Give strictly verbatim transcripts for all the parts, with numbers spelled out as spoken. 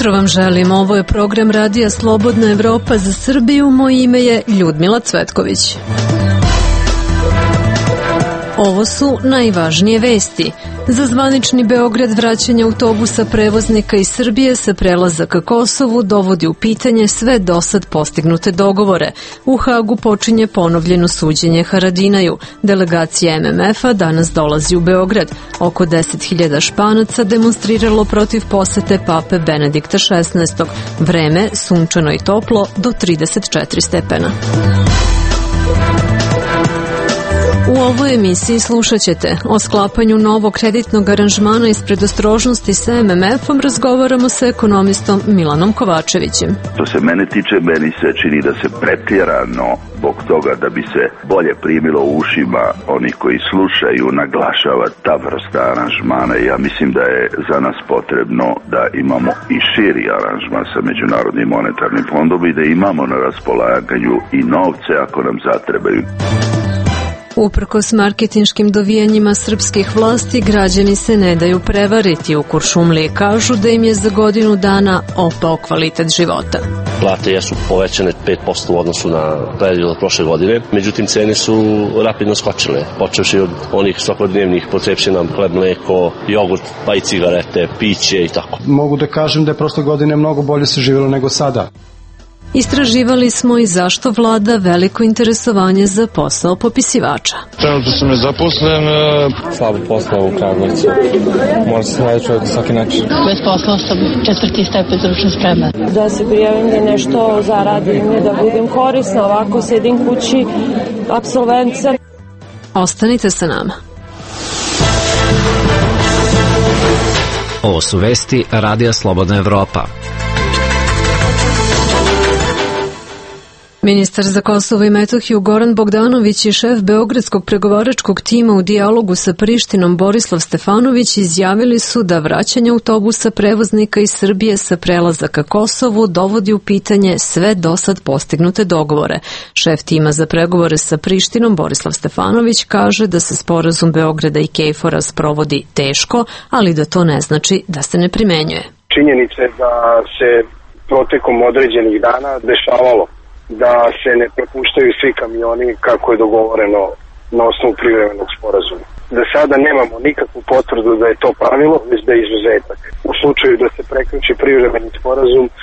jutro vam želim. Ovo je program Radija Slobodna Evropa za Srbiju. Moje ime je Ljudmila Cvetković. Ovo su najvažnije vesti. Za zvanični Beograd vraćanje autobusa prevoznika iz Srbije sa prelaza ka Kosovu dovodi u pitanje sve dosad postignute dogovore. U Hagu počinje ponovljeno suđenje Haradinaju. Delegacija M M F-a danas dolazi u Beograd. Oko deset hiljada Španaca demonstriralo protiv posete pape Benedikta šesnaestog. Vreme sunčano i toplo do trideset četiri stepena. U ovoj emisiji slušat ćete o sklapanju novog kreditnog aranžmana iz predostrožnosti sa M M F-om. Razgovaramo sa ekonomistom Milanom Kovačevićem. Što se mene tiče, meni se čini da se pretjerano zbog toga da bi se bolje primilo u ušima oni koji slušaju naglašava ta vrsta aranžmana. Ja mislim da je za nas potrebno da imamo i širi aranžman sa Međunarodnim monetarnim fondom i da imamo na raspolaganju i novce ako nam zatrebaju. Uprkos marketinškim dovijanjima srpskih vlasti, građani se ne daju prevariti. U Kuršumliji kažu da im je za godinu dana opao kvalitet života. Plate jesu povećane pet posto u odnosu na period od prošle godine, međutim cene su rapidno skočile, počevši od onih svakodnevnih potrepština, hleb, mleko, jogurt, pa i cigarete, piće i tako. Mogu da kažem da je prošle godine mnogo bolje se živjelo nego sada. Istraživali smo i zašto vlada veliko interesovanje za posao popisivača. Trenutno sam nezaposlen. Slabo posla u Kragujevcu. Mora se naći čovjek na svaki način. Bez posla sam četvrti stepen stručne spreme. Da se prijavim da nešto zaradim, da budem korisna, ovako sedim kući, apsolvent sam. Ostanite sa nama. Ovo su vesti Radija Slobodna Evropa. Ministar za Kosovo i Metohiju Goran Bogdanović i šef beogradskog pregovaračkog tima u dijalogu sa Prištinom Borislav Stefanović izjavili su da vraćanje autobusa prevoznika iz Srbije sa prelaza ka Kosovu dovodi u pitanje sve dosad postignute dogovore. Šef tima za pregovore sa Prištinom Borislav Stefanović kaže da se sporazum Beograda i Kejfora sprovodi teško, ali da to ne znači da se ne primenjuje. Činjenica je da se protekom određenih dana dešavalo da se ne propuštaju svi kamioni kako je dogovoreno na osnovu privremenog sporazuma. Da sada nemamo nikakvu potvrdu da je to pravilo, već da je izuzetak. U slučaju da se prekrši privremeni sporazum, e,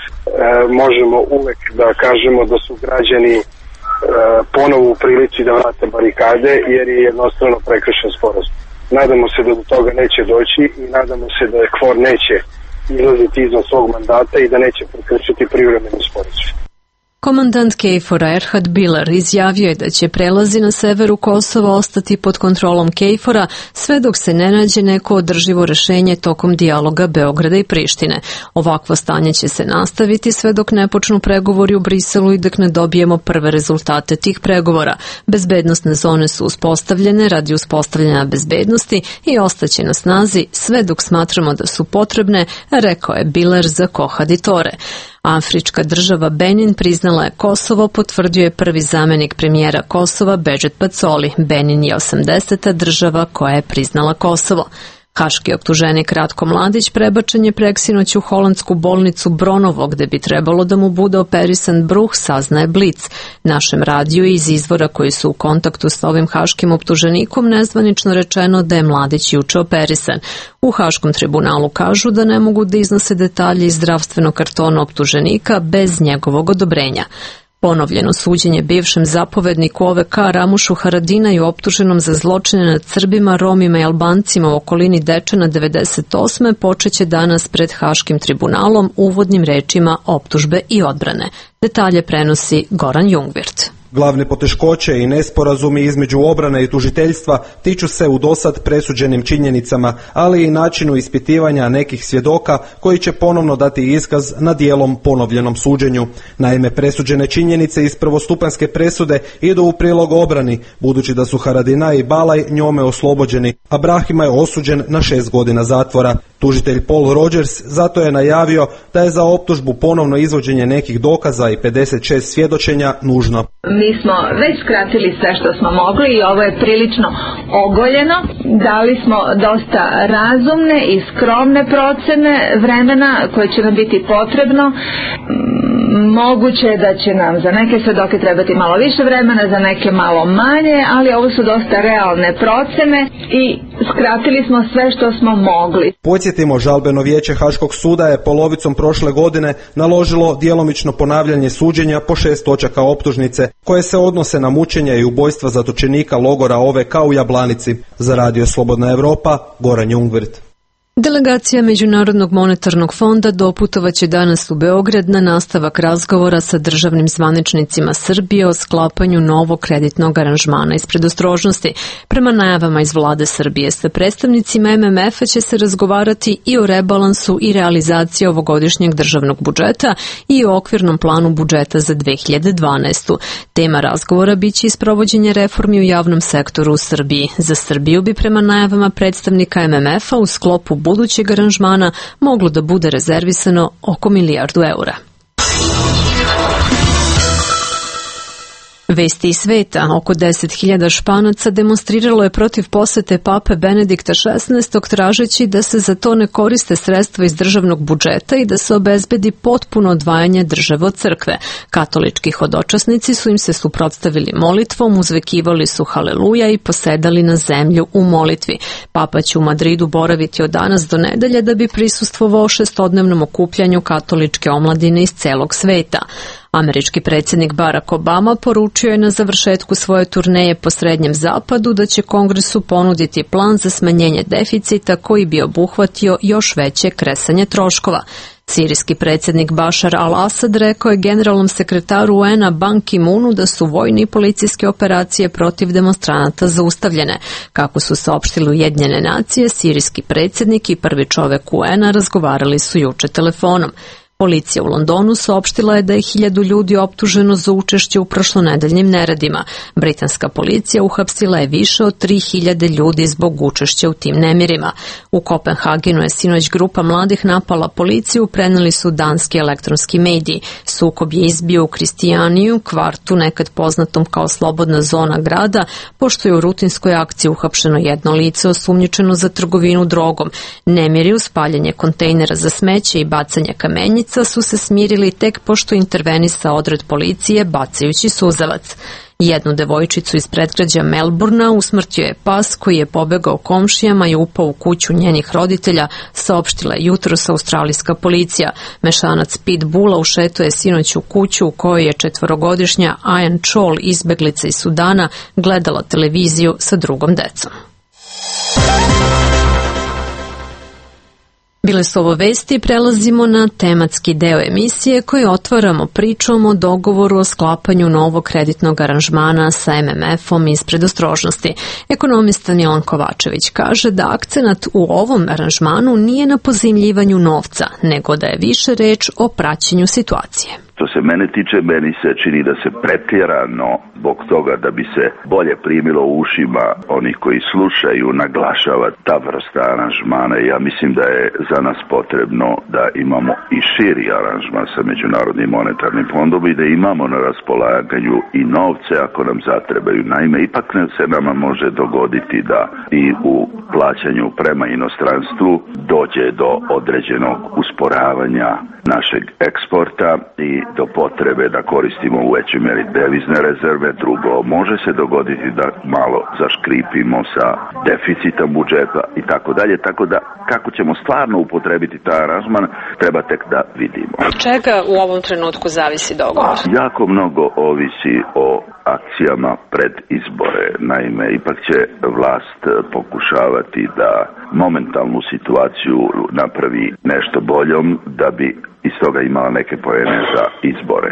možemo uvek da kažemo da su građani e, ponovo u prilici da vrate barikade, jer je jednostavno prekršen sporazum. Nadamo se da do toga neće doći i nadamo se da je KFOR neće izlaziti izvan svog mandata i da neće prekršiti privremeni sporazum. Komandant Kejfora Erhard Biler izjavio je da će prelazi na severu Kosova ostati pod kontrolom Kejfora sve dok se ne nađe neko održivo rešenje tokom dijaloga Beograda i Prištine. Ovakvo stanje će se nastaviti sve dok ne počnu pregovori u Briselu i dok ne dobijemo prve rezultate tih pregovora. Bezbednostne zone su uspostavljene radi uspostavljanja bezbednosti i ostaće na snazi sve dok smatramo da su potrebne, rekao je Biler za Kohaditore. Afrička država Benin priznala je Kosovo, potvrdio je prvi zamenik premijera Kosova Bedžet Pacoli. Benin je osamdeseta država koja je priznala Kosovo. Haški optuženik Ratko Mladić prebačen je preksinoć u holandsku bolnicu Bronovo, gde bi trebalo da mu bude operisan bruh, saznaje Blic. Našem radiju iz izvora koji su u kontaktu s ovim haškim optuženikom nezvanično rečeno da je Mladić juče operisan. U Haškom tribunalu kažu da ne mogu da iznose detalje iz zdravstvenog kartona optuženika bez njegovog odobrenja. Ponovljeno suđenje bivšem zapovedniku O V K Ramušu Haradinaju optuženom za zločine nad Srbima, Romima i Albancima u okolini Dečana devedeset osme počeće danas pred Haškim tribunalom uvodnim rečima optužbe i odbrane. Detalje prenosi Goran Jungvirt. Glavne poteškoće i nesporazumi između obrane i tužiteljstva tiču se u dosad presuđenim činjenicama, ali i načinu ispitivanja nekih svjedoka koji će ponovno dati iskaz na dijelom ponovljenom suđenju. Naime, presuđene činjenice iz prvostupanjske presude idu u prilog obrani, budući da su Haradinaj i Balaj njome oslobođeni, a Brahima je osuđen na šest godina zatvora. Tužitelj Paul Rogers zato je najavio da je za optužbu ponovno izvođenje nekih dokaza i pedeset šest svjedočenja nužno. Mi smo već skratili sve što smo mogli i ovo je prilično ogoljeno. Dali smo dosta razumne i skromne procene vremena koje će nam biti potrebno. Moguće je da će nam za neke svedoke trebati malo više vremena, za neke malo manje, ali ovo su dosta realne procene i skratili smo sve što smo mogli. Podsjetimo, žalbeno vijeće Haškog suda je polovicom prošle godine naložilo djelomično ponavljanje suđenja po šest točaka optužnice koje se odnose na mučenje i ubojstva zatočenika logora O V K u Jablanici. Za Radio Slobodna Evropa, Goran Jungwirth. Delegacija Međunarodnog monetarnog fonda doputovaće danas u Beograd na nastavak razgovora sa državnim zvaničnicima Srbije o sklapanju novog kreditnog aranžmana iz predostrožnosti. Prema najavama iz vlade Srbije sa predstavnicima M M F-a će se razgovarati i o rebalansu i realizaciji ovogodišnjeg državnog budžeta i o okvirnom planu budžeta za dve hiljade dvanaestu. Tema razgovora biće isprovođenje reformi u javnom sektoru u Srbiji. Za Srbiju bi prema najavama predstavnika M M F-a u sklopu budućeg aranžmana moglo da bude rezervisano oko milijardu eura. Vesti iz sveta. Oko deset hiljada Španaca demonstriralo je protiv posete pape Benedikta šesnaestog tražeći da se za to ne koriste sredstva iz državnog budžeta i da se obezbedi potpuno odvajanje države od crkve. Katolički hodočasnici su im se suprotstavili molitvom, uzvekivali su haleluja i posedali na zemlju u molitvi. Papa će u Madridu boraviti od danas do nedelje da bi prisustvovao šestodnevnom okupljanju katoličke omladine iz celog sveta. Američki predsjednik Barack Obama poručio je na završetku svoje turneje po Srednjem zapadu da će Kongresu ponuditi plan za smanjenje deficita koji bi obuhvatio još veće kresanje troškova. Sirijski predsjednik Bašar al-Asad rekao je generalnom sekretaru U N-a Ban Ki-moonu da su vojne i policijske operacije protiv demonstranata zaustavljene. Kako su saopštili Ujedinjene nacije, sirijski predsjednik i prvi čovek U N-a razgovarali su juče telefonom. Policija u Londonu saopštila je da je hiljadu ljudi optuženo za učešće u prošlonedeljnim neredima. Britanska policija uhapsila je više od tri hiljade ljudi zbog učešća u tim nemirima. U Kopenhagenu je sinoć grupa mladih napala policiju, preneli su danski elektronski mediji. Sukob je izbio u Kristijaniju, kvartu nekad poznatom kao slobodna zona grada, pošto je u rutinskoj akciji uhapšeno jedno lice osumnjičeno za trgovinu drogom. Nemiri uz paljenje kontejnera za smeće i bacanje kamenjica su se smirili tek pošto intervenisao odred policije bacajući suzavac. Jednu devojčicu iz predgrađa Melbourna usmrtio je pas koji je pobegao komšijama i upao u kuću njenih roditelja, saopštila je jutros australijska policija. Mešanac pitbula ušetao je sinoć u kuću u kojoj je četvorogodišnja Ayan Chol, izbeglica iz Sudana, gledala televiziju sa drugom decom. Bile su ovo vesti, prelazimo na tematski deo emisije koji otvaramo pričom o dogovoru o sklapanju novog kreditnog aranžmana sa M M F-om iz predostrožnosti. Ekonomista Milan Kovačević kaže da akcenat u ovom aranžmanu nije na pozajmljivanju novca, nego da je više reč o praćenju situacije. Što se mene tiče, meni se čini da se pretjerano zbog toga da bi se bolje primilo u ušima onih koji slušaju naglašava ta vrsta aranžmana. Ja mislim da je za nas potrebno da imamo i širi aranžman sa Međunarodnim monetarnim fondom i da imamo na raspolaganju i novce ako nam zatrebaju. Naime, ipak se nama može dogoditi da i u plaćanju prema inostranstvu dođe do određenog usporavanja našeg eksporta i do potrebe da koristimo u većoj meri devizne rezerve. Drugo, može se dogoditi da malo zaškripimo sa deficitom budžeta i tako dalje, tako da kako ćemo stvarno upotrebiti taj aranžman treba tek da vidimo. Čega u ovom trenutku zavisi dogovor? Jako mnogo ovisi o akcijama pred izbore. Naime, ipak će vlast pokušavati da momentalnu situaciju napravi nešto boljom da bi iz toga imala neke poene za izbore.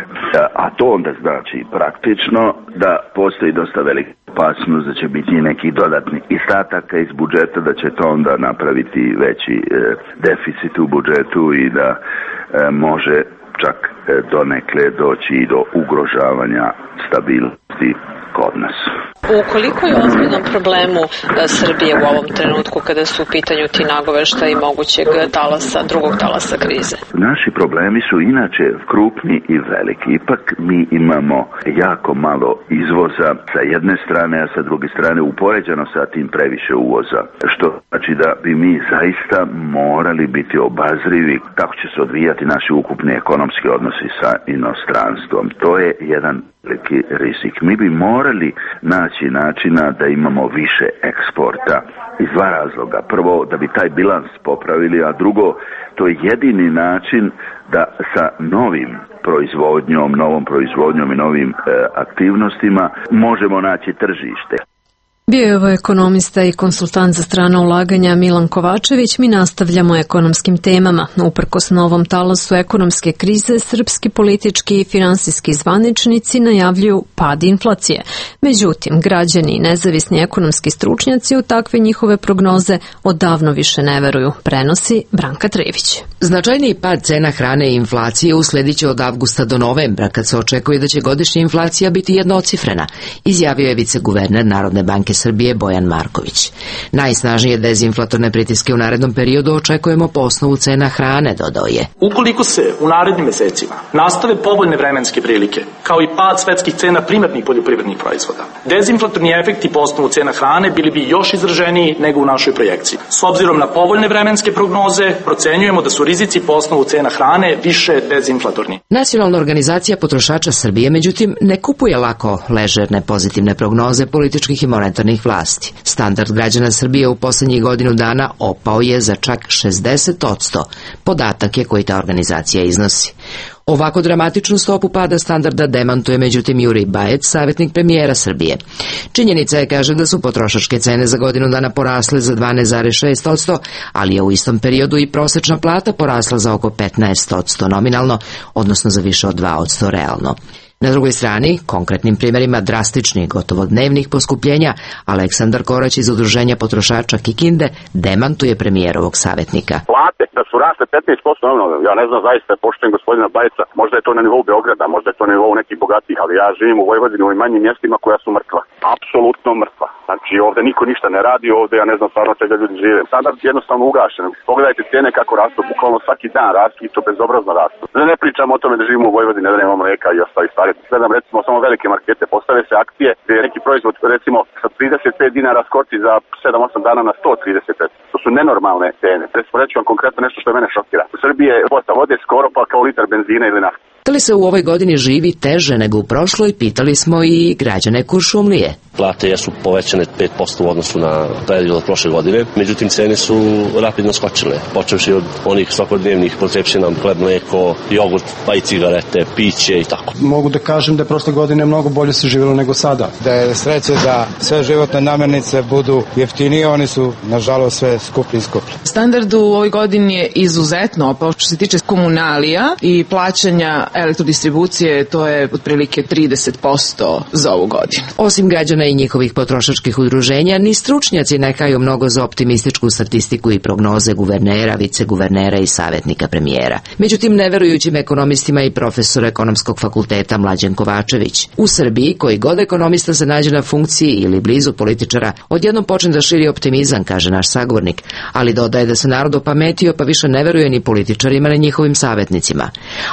A to onda znači praktično da postoji dosta velika opasnost da će biti neki dodatni izdataka iz budžeta, da će to onda napraviti veći e, deficit u budžetu i da e, može čak e, donekle doći i do ugrožavanja stabilnosti kod nas. U koliko je ozbiljnom problemu Srbije u ovom trenutku kada su u pitanju ti nagoveštaji mogućeg talasa, drugog talasa krize? Naši problemi su inače krupni i veliki. Ipak mi imamo jako malo izvoza sa jedne strane, a sa druge strane upoređeno sa tim previše uvoza. Što znači da bi mi zaista morali biti obazrivi kako će se odvijati naši ukupni ekonomski odnosi sa inostranstvom. To je jedan veliki rizik. Mi bi morali naći načina da imamo više eksporta iz dva razloga. Prvo, da bi taj bilans popravili, a drugo, to je jedini način da sa novim proizvodnjom, novom proizvodnjom i novim e, aktivnostima možemo naći tržište. Bio je ovo ekonomista i konsultant za strana ulaganja Milan Kovačević. Mi nastavljamo ekonomskim temama. Uprkos novom talasu ekonomske krize, srpski politički i finansijski zvaničnici najavljuju pad inflacije. Međutim, građani i nezavisni ekonomski stručnjaci u takve njihove prognoze odavno više ne veruju, prenosi Branka Trević. Značajniji pad cena hrane i inflacije usledit će od avgusta do novembra, kad se očekuje da će godišnja inflacija biti jednocifrena, izjavio je viceguverner Narodne banke Srbije Bojan Marković. Najsnažnije dezinflatorne pritiske u narednom periodu očekujemo po osnovu cena hrane, dodao je. Ukoliko se u narednim mesecima nastave povoljne vremenske prilike, kao i pad svetskih cena primarnih poljoprivrednih proizvoda, dezinflatorni efekti po osnovu cena hrane bili bi još izraženiji nego u našoj projekciji. S obzirom na povoljne vremenske prognoze, procenjujemo da su rizici po osnovu cena hrane više dezinflatorni. Nacionalna organizacija potrošača Srbije, međutim, ne kupuje lako ležerne pozitivne prognoze političkih i monetarnih vlasti. Standard građana Srbije u poslednjih godinu dana opao je za čak šezdeset posto. Podatak je koji ta organizacija iznosi. Ovako dramatičnu stopu pada standarda demantuje međutim Jurij Bajec, savjetnik premijera Srbije. Činjenica je, kaže, da su potrošačke cene za godinu dana porasle za dvanaest zarez šest posto, ali je u istom periodu i prosečna plata porasla za oko petnaest posto nominalno, odnosno za više od dva posto realno. Na drugoj strani, konkretnim primjerima drastičnih, gotovo dnevnih poskupljenja, Aleksandar Korać iz Udruženja potrošača Kikinde demantuje premijerovog savjetnika. Plate da su rasle petnaest posto, ja ne znam, zaista poštujem gospodina Bajca, možda je to na nivou Beograda, možda je to na nivou nekih bogatih, ali ja živim u Vojvodini u manjim mjestima koja su mrtva. Apsolutno mrtva. Znači ovde niko ništa ne radi, ovde ja ne znam stvarno čega ljudi žive. Standard je jednostavno ugašen. Pogledajte cijene kako rastu, bukvalno svaki dan rastu i to bezobrazno rastu. Da ne pričamo o tome da živimo u Vojvodini, da nemamo mleka i ostali stvari. Gledam recimo samo velike markete, postave se akcije gdje je neki proizvod recimo sa trideset pet dinara skoči za sedam osam dana na sto trideset pet. To su nenormalne cene. Recimo reći vam konkretno nešto što mene šokira. U Srbiji je kvota vode skoro pa kao litar benzina ili nafte. Da li se u ovoj godini živi teže nego u prošloj, pitali smo i građane Kuršumlije. Plate jesu povećane pet posto u odnosu na period od prošle godine, međutim cene su rapidno skočile, počevši od onih svakodnevnih potrepština, hleb, mleko, jogurt, pa i cigarete, piće i tako. Mogu da kažem da je prošle godine mnogo bolje se živjelo nego sada. Da je sreće da sve životne namirnice budu jeftinije, oni su nažalost sve skuplji i skuplji. Standard u ovoj godini je izuzetno opao što se tiče komunalija i plaćanja elektrodistribucije, to je otprilike trideset posto za ovu godinu. Osim građana i njihovih potrošačkih udruženja, ni stručnjaci ne haju mnogo za optimističku statistiku i prognoze guvernera, viceguvernera i savjetnika premijera. Međutim, neverujućim ekonomistima i profesor ekonomskog fakulteta Mlađan Kovačević. U Srbiji, koji god ekonomista se nađe na funkciji ili blizu političara, odjednom počne da širi optimizam, kaže naš sagovornik, ali dodaje da se narod opametio pa više ne veruje ni političarima ni njihovim savjetnicima.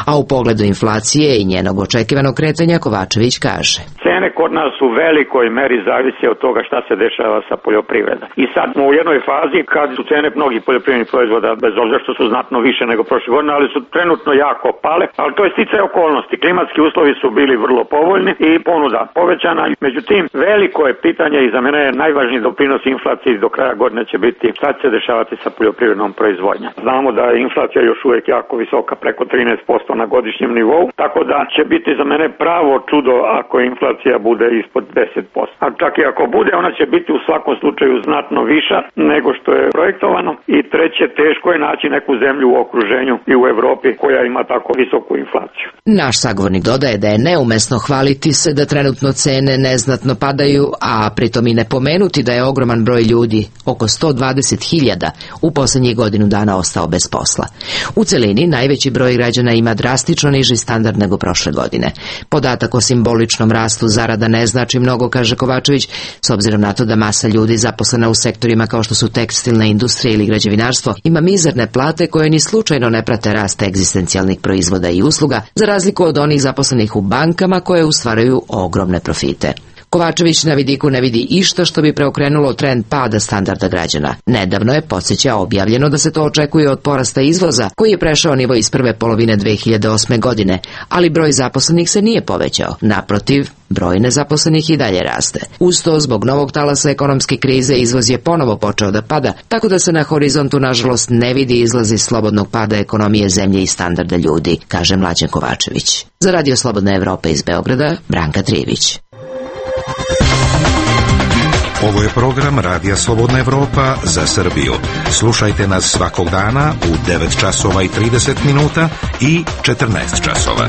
A u pogledu inflacije i njenog očekivanog kretanja Kovačević kaže. Cene kod nas u velikoj meri zavise od toga šta se dešava sa poljoprivredom. I sad smo u jednoj fazi kad su cene mnogih poljoprivrednih proizvoda, bez obzira što su znatno više nego prošle godine, ali su trenutno jako pale, ali to je sticaj okolnosti. Klimatski uslovi su bili vrlo povoljni i ponuda povećana. Međutim, veliko je pitanje i za mene je najvažniji doprinos inflaciji do kraja godine će biti šta će se dešavati sa poljoprivrednom proizvodnjom. Znamo da je inflacija još uvijek jako visoka, preko trinaest posto na godišnjem nivou, tako da će biti za mene pravo čudo ako inflacija bude ispod deset posto. A čak i ako bude, ona će biti u svakom slučaju znatno viša nego što je projektovano. I treće, teško je naći neku zemlju u okruženju i u Evropi koja ima tako visoku inflaciju. Naš sagovornik dodaje da je neumesno hvaliti se da trenutno cene neznatno padaju, a pritom i ne pomenuti da je ogroman broj ljudi, oko sto dvadeset hiljada, u posljednjih godinu dana ostao bez posla. U celini najveći broj građana ima drastično niže niži standard nego prošle godine. Podatak o simboličnom rastu zarada ne znači mnogo, kaže Kovačević, s obzirom na to da masa ljudi zaposlena u sektorima kao što su tekstilna industrija ili građevinarstvo ima mizerne plate koje ni slučajno ne prate rast egzistencijalnih proizvoda i usluga, za razliku od onih zaposlenih u bankama koje ustvaraju ogromne profite. Kovačević na vidiku ne vidi išta što bi preokrenulo trend pada standarda građana. Nedavno je, podsjeća, objavljeno da se to očekuje od porasta izvoza, koji je prešao nivo iz prve polovine dve hiljade osme godine, ali broj zaposlenih se nije povećao. Naprotiv, broj nezaposlenih i dalje raste. Uz to, zbog novog talasa ekonomske krize, izvoz je ponovo počeo da pada, tako da se na horizontu, nažalost, ne vidi izlazi slobodnog pada ekonomije zemlje i standarda ljudi, kaže Mlađan Kovačević. Za Radio Slobodna Evropa iz Beograda, Branka Trijević. Ovo je program Radija Slobodna Evropa za Srbiju. Slušajte nas svakog dana u devet časova i trideset minuta i četrnaest časova.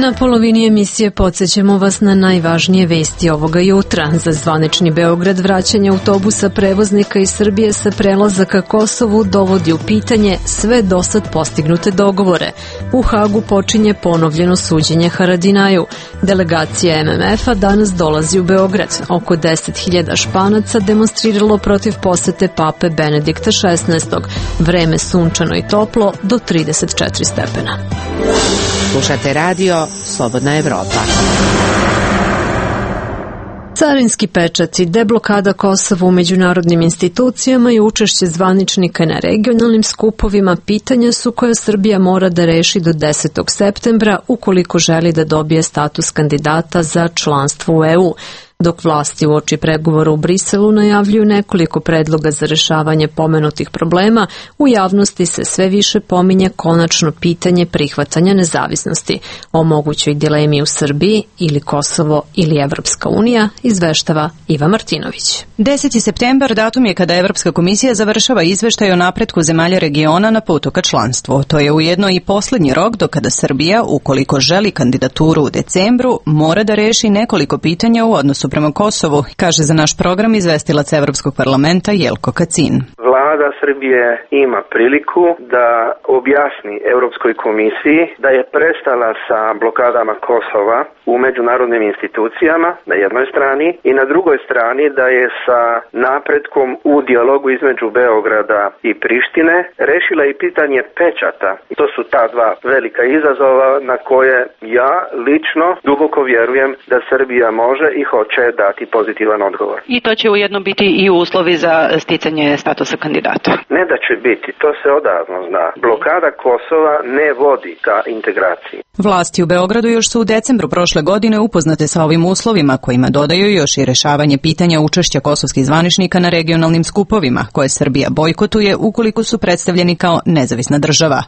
Na polovini emisije podsjećamo vas na najvažnije vesti ovoga jutra. Za zvanični Beograd vraćanje autobusa prevoznika iz Srbije sa prelaza ka Kosovu dovodi u pitanje sve dosad postignute dogovore. U Hagu počinje ponovljeno suđenje Haradinaju. Delegacija M M F-a danas dolazi u Beograd. Oko deset hiljada Španaca demonstriralo protiv posete pape Benedikta šesnaestog. Vreme sunčano i toplo do trideset četiri stepena. Slušate radio Slobodna Evropa. Carinski pečati, deblokada Kosova u međunarodnim institucijama i učešće zvaničnika na regionalnim skupovima pitanja su koja Srbija mora da reši do desetog septembra ukoliko želi da dobije status kandidata za članstvo u E U. Dok vlasti uoči pregovora u Briselu najavljuju nekoliko predloga za rešavanje pomenutih problema, u javnosti se sve više pominje konačno pitanje prihvatanja nezavisnosti. O mogućoj dilemi u Srbiji ili Kosovo ili Evropska unija izveštava Iva Martinović. deseti septembar datum je kada Evropska komisija završava izveštaj o napretku zemalja regiona na putu ka članstvu. To je ujedno i poslednji rok do kada Srbija, ukoliko želi kandidaturu u decembru, mora da reši nekoliko pitanja u odnosu prema Kosovu, kaže za naš program izvestilac Evropskog parlamenta Jelko Kacin. Vlada Srbije ima priliku da objasni Europskoj komisiji da je prestala sa blokadama Kosova u međunarodnim institucijama na jednoj strani i na drugoj strani da je sa napretkom u dijalogu između Beograda i Prištine rešila i pitanje pečata. To su ta dva velika izazova na koje ja lično duboko vjerujem da Srbija može i hoće dati pozitivan odgovor. I to će ujedno biti i uslovi za sticanje statusa kandidata. Ne da će biti, to se odavno zna. Blokada Kosova ne vodi ka integraciji. Vlasti u Beogradu još su u decembru prošle godine upoznate sa ovim uslovima, kojima dodaju još i rešavanje pitanja učešća kosovskih zvaničnika na regionalnim skupovima, koje Srbija bojkotuje ukoliko su predstavljeni kao nezavisna država.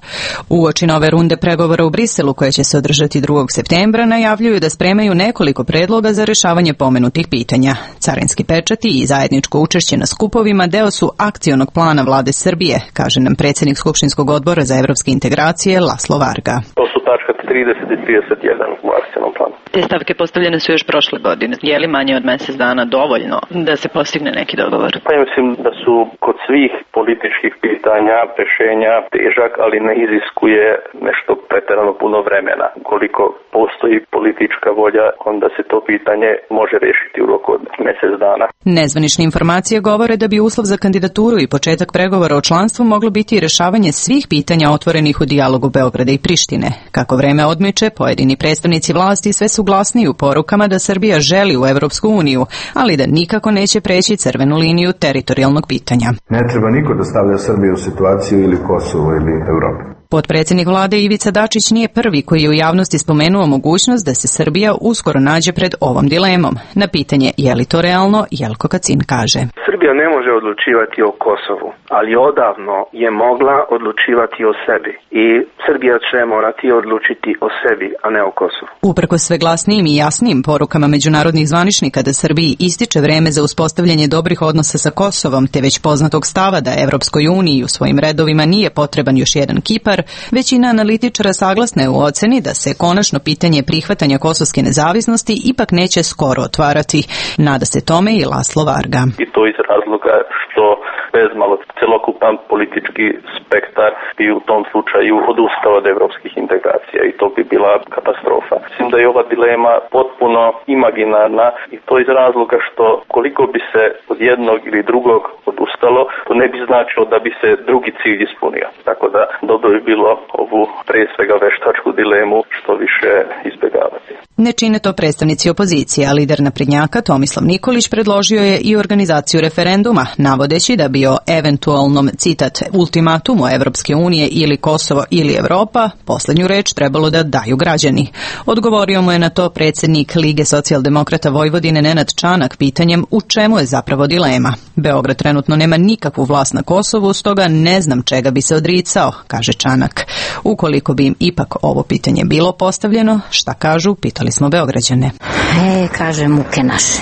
Uoči nove runde pregovora u Briselu, koje će se održati drugog septembra, najavljuju da spremaju nekoliko predloga za rešavanje pomenutih pitanja. Carinski pečati i zajedničko učešće na skupovima deo su akcionog plana vlade Srbije, kaže nam predsjednik Skupštinskog odbora za evropske integracije Laslo Varga. To su tačka trideset i trideset jedan u akcionom planu. Te stavke postavljene su još prošle godine. Je li manje od mjesec dana dovoljno da se postigne neki dogovor? Pa ja mislim da su kod svih političkih pitanja rešenja težak, ali ne iziskuje nešto pretjerano puno vremena. Ukoliko postoji politička volja, onda se to pitanje može rešiti u roku od mjesec dana. Nezvanične informacije govore da bi uslov za kandidaturu i početak pregovora o članstvu moglo biti i rešavanje svih pitanja otvorenih u dijalogu Beograda i Prištine. Kako vreme odmiče, pojedini predstavnici vlasti sve su glasniji u porukama da Srbija želi u Evropsku uniju, ali da nikako neće preći crvenu liniju teritorijalnog pitanja. Ne treba niko da stavlja Srbiju u situaciju ili Kosovo ili Evropu. Potpredsjednik vlade Ivica Dačić nije prvi koji je u javnosti spomenuo mogućnost da se Srbija uskoro nađe pred ovom dilemom. Na pitanje je li to realno, Jelko Kacin kaže. Srbija ne može odlučivati o Kosovu, ali odavno je mogla odlučivati o sebi i Srbija će morati odlučiti o sebi, a ne o Kosovu. Uprkos sve glasnijim i jasnijim porukama međunarodnih zvaničnika da Srbiji ističe vreme za uspostavljanje dobrih odnosa sa Kosovom, te već poznatog stava da Evropskoj uniji u svojim redovima nije potreban još jedan Kipar, većina analitičara saglasna je u oceni da se konačno pitanje prihvatanja kosovske nezavisnosti ipak neće skoro otvarati. Nada se tome i Laslo Varga. I to iz razloga što bez malo celokupan politički spektar bi u tom slučaju odustao od evropskih integracija i to bi bila katastrofa. Mislim da je ova dilema potpuno imaginarna i to iz razloga što koliko bi se od jednog ili drugog odustalo, to ne bi značilo da bi se drugi cilj ispunio. Tako da dobro bi bilo ovu pre svega veštačku dilemu što više izbjegavati. Ne čine to predstavnici opozicije, a lider naprednjaka Tomislav Nikolić predložio je i organizaciju referenduma, navodeći da bi o eventualnom, citat, ultimatumu Evropske unije ili Kosovo ili Evropa poslednju reč trebalo da daju građani. Odgovorio mu je na to predsjednik Lige socijaldemokrata Vojvodine Nenad Čanak pitanjem u čemu je zapravo dilema. Beograd trenutno nema nikakvu vlast na Kosovu, stoga ne znam čega bi se odricao, kaže Čanak. Ukoliko bi im ipak ovo pitanje bilo postavljeno, šta kažu, pitali smo Beograđane. E, kaže muke naše.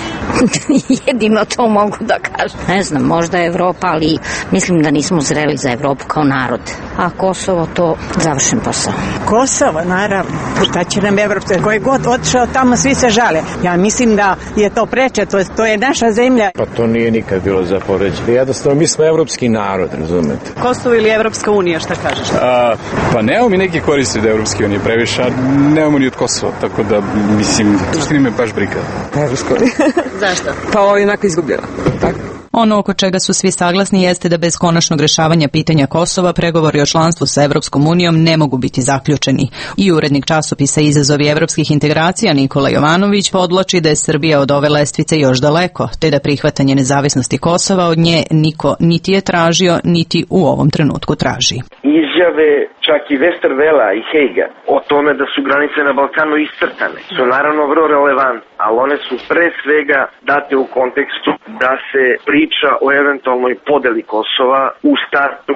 Jedino to mogu da kažem. Ne znam, možda je Evropa, ali mislim da nismo zreli za Evropu kao narod. A Kosovo to završen posao. Kosovo, naravno. Šta će nam Evropa? Koji god otišao tamo, svi se žale. Ja mislim da je to preče, to, to je naša zemlja. Pa to nije nikad bilo za poređenje. Jednostavno, mi smo evropski narod, razumete. Kosovo ili Evropska unija, šta kažeš? A, pa nemamo mi neki koristi od Evropske unije previše, a nemamo ni od Kosova, tako da mislim, to me baš briga. Evropska unija. Zašto? Pa ovo je onako izgubljeno. Tako. Ono oko čega su svi saglasni jeste da bez konačnog rešavanja pitanja Kosova pregovori o članstvu sa Evropskom unijom ne mogu biti zaključeni. I urednik časopisa Izazovi evropskih integracija Nikola Jovanović podvlači da je Srbija od ove lestvice još daleko, te da prihvatanje nezavisnosti Kosova od nje niko niti je tražio, niti u ovom trenutku traži. Izjave čak i Westervela i Hejga o tome da su granice na Balkanu iscrtane su naravno vrlo relevantne, ali one su pre svega date u kontekstu da se priča o eventualnoj podeli Kosova u startu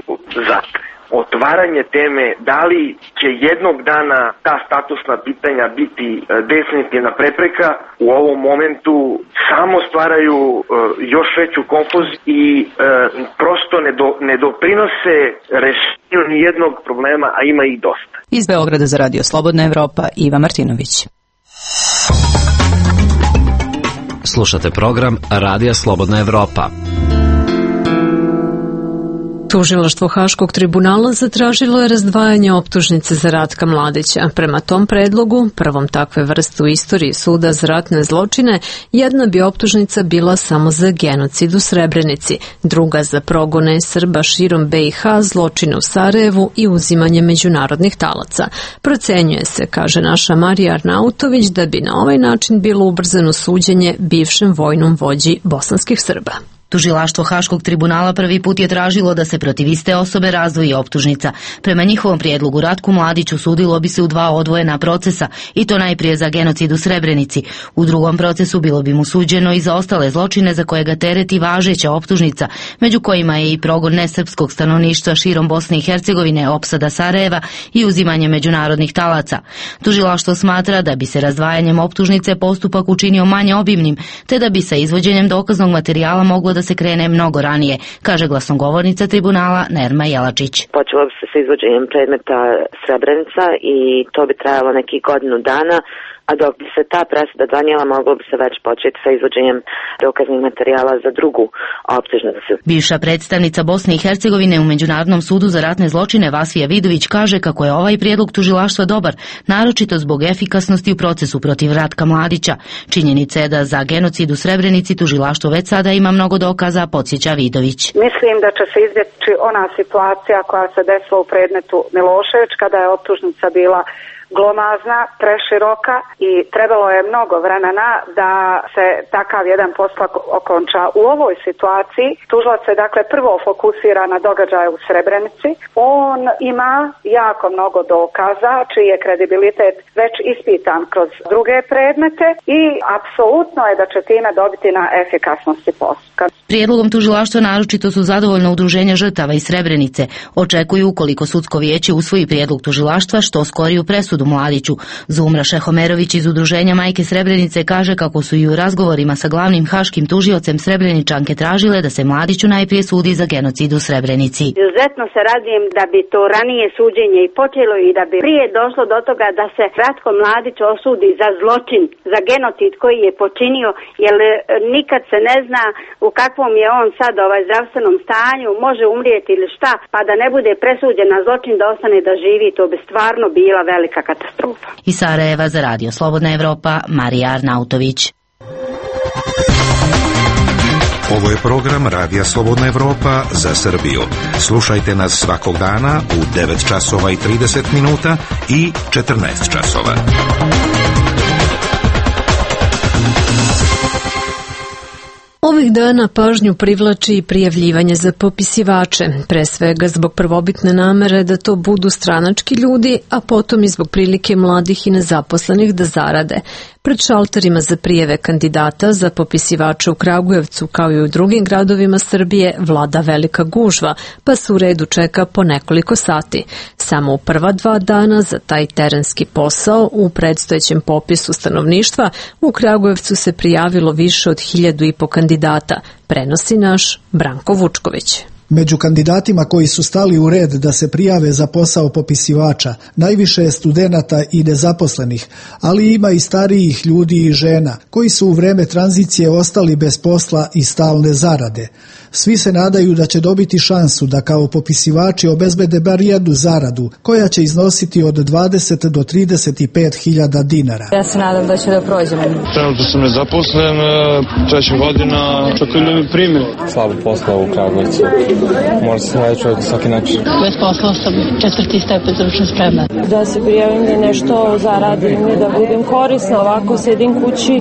zatre. Otvaranje teme da li će jednog dana ta statusna pitanja biti definitivna prepreka u ovom momentu samo stvaraju uh, još veću konfuziju i uh, prosto ne, do, ne doprinose rešenju nijednog problema, a ima ih dosta. Iz Beograda za Radio Slobodna Evropa, Iva Martinović. Slušate program Radija Slobodna Evropa. Tužilaštvo Haškog tribunala zatražilo je razdvajanje optužnice za Ratka Mladića. Prema tom predlogu, prvom takve vrste u istoriji suda za ratne zločine, jedna bi optužnica bila samo za genocid u Srebrenici, druga za progone Srba širom B i H, zločine u Sarajevu i uzimanje međunarodnih talaca. Procenjuje se, kaže naša Marija Arnautović, da bi na ovaj način bilo ubrzano suđenje bivšem vojnom vođi bosanskih Srba. Tužilaštvo Haškog tribunala prvi put je tražilo da se protiv iste osobe razdvoji optužnica. Prema njihovom prijedlogu Ratku Mladiću sudilo bi se u dva odvojena procesa, i to najprije za genocid u Srebrenici. U drugom procesu bilo bi mu suđeno i za ostale zločine za koje ga tereti važeća optužnica, među kojima je i progon nesrpskog stanovništva širom Bosne i Hercegovine, opsada Sarajeva i uzimanje međunarodnih talaca. Tužilaštvo smatra da bi se razdvajanjem optužnice postupak učinio manje obimnim, te da bi sa izvođenjem dokaznog materijala moglo da se krene mnogo ranije, kaže glasnogovornica tribunala Nerma Jelačić. Počelo bi se sa izvođenjem predmeta Srebrenica i to bi trajalo nekih godinu dana, a dok bi se ta presuda donijela, moglo bi se već početi sa izvođenjem dokaznih materijala za drugu optužnicu. Bivša predstavnica Bosne i Hercegovine u Međunarodnom sudu za ratne zločine Vasija Vidović kaže kako je ovaj prijedlog tužilaštva dobar, naročito zbog efikasnosti u procesu protiv Ratka Mladića. Činjenica je da za genocid u Srebrenici tužilaštvo već sada ima mnogo dokaza, podsjeća Vidović. Mislim da će se izbjeći ona situacija koja se desila u predmetu Milošević, kada je optužnica bila glomazna, preširoka i trebalo je mnogo vremena da se takav jedan postupak okonča. U ovoj situaciji tužilac se dakle prvo fokusira na događaje u Srebrenici. On ima jako mnogo dokaza čiji je kredibilitet već ispitan kroz druge predmete i apsolutno je da će time dobiti na efikasnosti postupka. Prijedlogom tužilaštva naročito su zadovoljna udruženja žrtava iz Srebrenice. Očekuju, ukoliko sudsko vijeće usvoji prijedlog tužilaštva, što skoriju presudu Miloradu Mladiću. Zumra Šehomerović iz udruženja Majke Srebrenice kaže kako su i u razgovorima sa glavnim haškim tužiocem Srebreničanke tražile da se Mladiću najprije sudi za genocid u Srebrenici. Izuzetno se radujem da bi to ranije suđenje i počelo i da bi prije došlo do toga da se Ratko Mladić osudi za zločin, za genocid koji je počinio, jer nikad se ne zna u kakvom je on sad ovaj zdravstvenom stanju, može umrijeti ili šta, pa da ne bude presuđen na zločin da ostane da živi, to bi stvarno bila velika katastrofa. Iz Sarajeva za Radio Slobodna Evropa, Marija Arnautović. Ovo je program Radija Slobodna Evropa za Srbiju. Slušajte nas svakog dana u devet časova i trideset minuta i četrnaest časova. Ovih dana pažnju privlači i prijavljivanje za popisivače, pre svega zbog prvobitne namere da to budu stranački ljudi, a potom i zbog prilike mladih i nezaposlenih da zarade. Pred šalterima za prijeve kandidata za popisivače u Kragujevcu, kao i u drugim gradovima Srbije, vlada velika gužva, pa se u redu čeka po nekoliko sati. Samo u prva dva dana za taj terenski posao u predstojećem popisu stanovništva u Kragujevcu se prijavilo više od hiljadu i po kandidata, prenosi naš Branko Vučković. Među kandidatima koji su stali u red da se prijave za posao popisivača, najviše je studenata i nezaposlenih, ali ima i starijih ljudi i žena, koji su u vreme tranzicije ostali bez posla i stalne zarade. Svi se nadaju da će dobiti šansu da kao popisivači obezbede bar jednu zaradu, koja će iznositi od dvadeset do trideset pet hiljada dinara. Ja se nadam da će da prođemo. Trenutno sam nezaposlen, treća godina, čekaju da mi primi. Slabo posla u Kragujevcu. Mora se naći čovjek na svaki način. Bez posla sam četvrti stepen stručne spreme. Da se prijavim da nešto zaradim i da budem korisna, ovako sedim kući,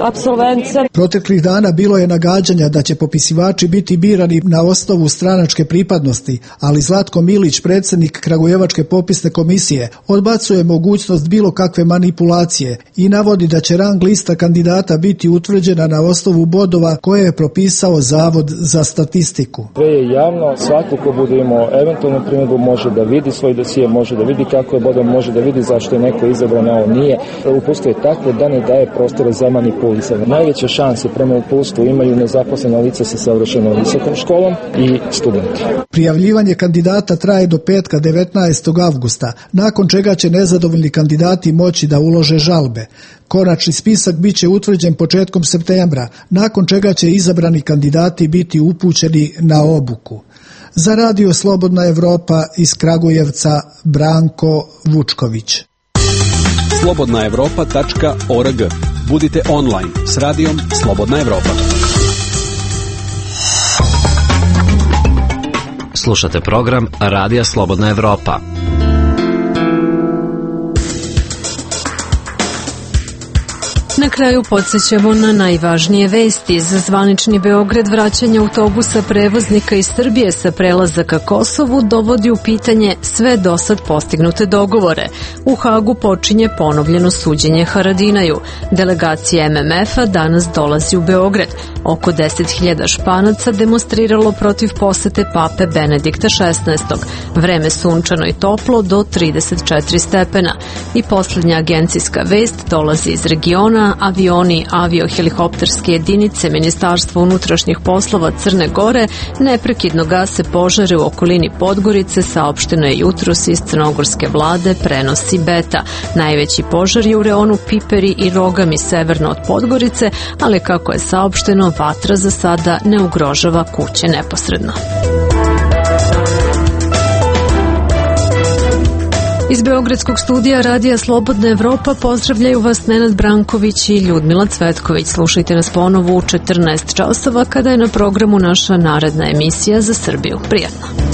apsolvent sam. Proteklih dana bilo je nagađanja da će popisivači biti birani na osnovu stranačke pripadnosti, ali Zlatko Milić, predsjednik Kragujevačke popisne komisije, odbacuje mogućnost bilo kakve manipulacije i navodi da će rang lista kandidata biti utvrđena na osnovu bodova koje je propisao Zavod za statistiku. Sve je javno, svako ko bude imao eventualnu primjedbu može da vidi svoj dosije, može da vidi kako je bodom, može da vidi zašto je neko izabran, a on nije. Uputstvo je takvo da ne daje prostora za manipulaciju. Najveće šanse prema uputstvu imaju nezaposlena lica sa savršenom visokom školom i studenti. Prijavljivanje kandidata traje do petka devetnaestog avgusta, nakon čega će nezadovoljni kandidati moći da ulože žalbe. Konačni spisak biće utvrđen početkom septembra, nakon čega će izabrani kandidati biti upućeni na obuku. Za Radio Slobodna Evropa iz Kragujevca, Branko Vučković. slobodna evropa tačka org. Budite online s radijom Slobodna Evropa. Slušate program Radija Slobodna Evropa. Na kraju podsjećamo na najvažnije vesti. Za zvanični Beograd vraćanje autobusa prevoznika iz Srbije sa prelazaka Kosovu dovodi u pitanje sve dosad postignute dogovore. U Hagu počinje ponovljeno suđenje Haradinaju. Delegacija em em ef-a danas dolazi u Beograd. Oko deset hiljada Španaca demonstriralo protiv posete pape Benedikta šesnaestog. Vreme sunčano i toplo do trideset četiri stepena. I posljednja agencijska vest dolazi iz regiona. Avioni aviohelikopterske jedinice Ministarstva unutrašnjih poslova Crne Gore neprekidno gase požare u okolini Podgorice, saopšteno je jutros iz crnogorske vlade, prenosi Beta. Najveći požar je u reonu Piperi i Rogami severno od Podgorice, ali kako je saopšteno, vatra za sada ne ugrožava kuće neposredno. Iz Beogradskog studija Radija Slobodna Evropa pozdravljaju vas Nenad Branković i Ljudmila Cvetković. Slušajte nas ponovo u četrnaest časova kada je na programu naša naredna emisija za Srbiju. Prijatno!